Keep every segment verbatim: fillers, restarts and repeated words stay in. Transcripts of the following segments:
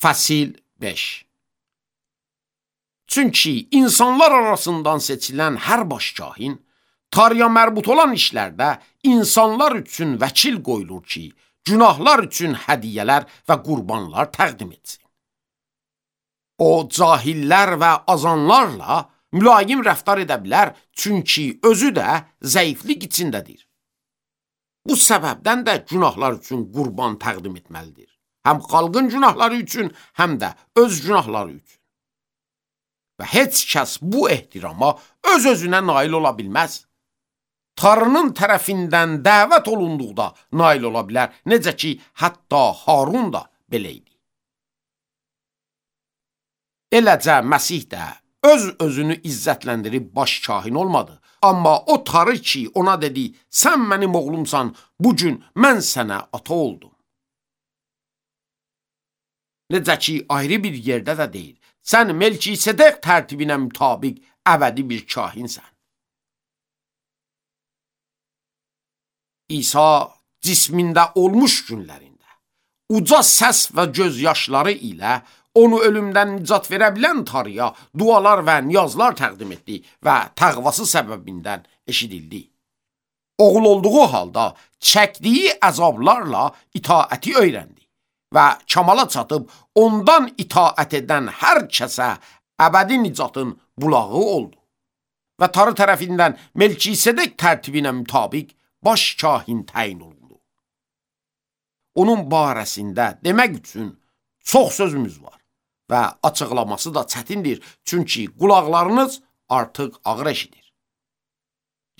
Fəsil beş. Çünki insanlar arasından seçilən hər baş kahin, tarıya mərbut olan işlərdə insanlar üçün vəkil qoyulur ki, günahlar üçün hədiyyələr və qurbanlar təqdim etsin. O, cahillər və azanlarla mülayim rəftar edə bilər, çünki özü də zəiflik içindədir. Bu səbəbdən də günahlar üçün qurban təqdim etməlidir. Həm xalqın günahları üçün, həm də öz günahları üçün. Və heç kəs bu ehtirama öz-özünə nail ola bilməz. Tanrının tərəfindən dəvət olunduqda nail ola bilər, necə ki, hətta Harun da belə idi. Eləcə, Məsih də öz-özünü izzətləndirib baş kahin olmadı. Amma o Tanrı ki, ona dedi, sən mənim oğlumsan, bugün mən sənə ata oldum. Necə ki, ayrı bir yerdə də deyir, sən Melkisedek tərtibinə mütabiq əbədi bir kahinsən. İsa cismində olmuş günlərində, uca səs və gözyaşları ilə onu ölümdən nicat verə bilən Tanrıya dualar və niyazlar təqdim etdi və təqvası səbəbindən eşidildi. Oğul olduğu halda çəkdiyi əzablarla itaəti öyrəndi və kamala çatıb ondan itaət edən hər kəsə əbədi nicatın bulağı oldu. Və Tanrı tərəfindən Melkisedek tərtibinə mütabiq baş kahin təyin olundu. Onun barəsində demək üçün çox sözümüz var və açıqlaması da çətindir, çünki qulaqlarınız artıq ağır eşidir.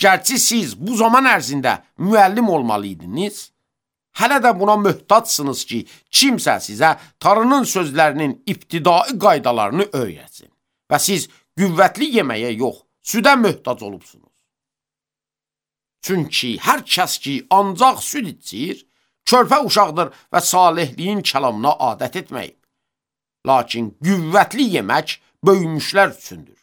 Gərçi siz bu zaman ərzində müəllim olmalıydınız, hələ də buna möhtaçsınız ki, kimsə sizə Tanrının sözlərinin ibtidai qaydalarını öyrətsin və siz qüvvətli yeməyə yox, südə möhtac olubsunuz. Çünki hər kəs ki, ancaq süd içir, körpə uşaqdır və salihliyin kəlamına adət etməyib. Lakin qüvvətli yemək böyümüşlər üçündür.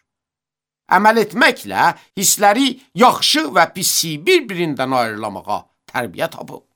Əməl etməklə hissləri yaxşı və pisi bir-birindən ayrılamağa tərbiyə tapıb.